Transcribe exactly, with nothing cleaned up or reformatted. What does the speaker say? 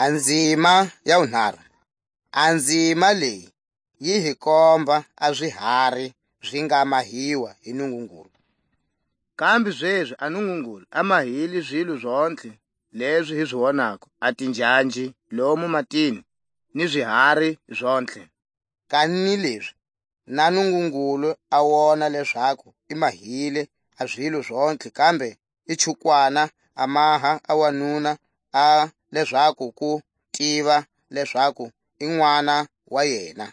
A nzima ya wunharhu. A nzima leyi yi hi komba a zihari zi nga mahiwa hi Nungungulu. Kambe zezi a Nungungulu a mahile zilo zontlhe lezi hi zi wonako, a tinjanji lomu matini, ni zihari zontlhe. Kanilezi na Nungungulu a wona lezaku i mahile a zilo zontlhe, kambe i chukwana a maha a wanuna, a lezaku ku tiva lezaku i n'wana wa yena.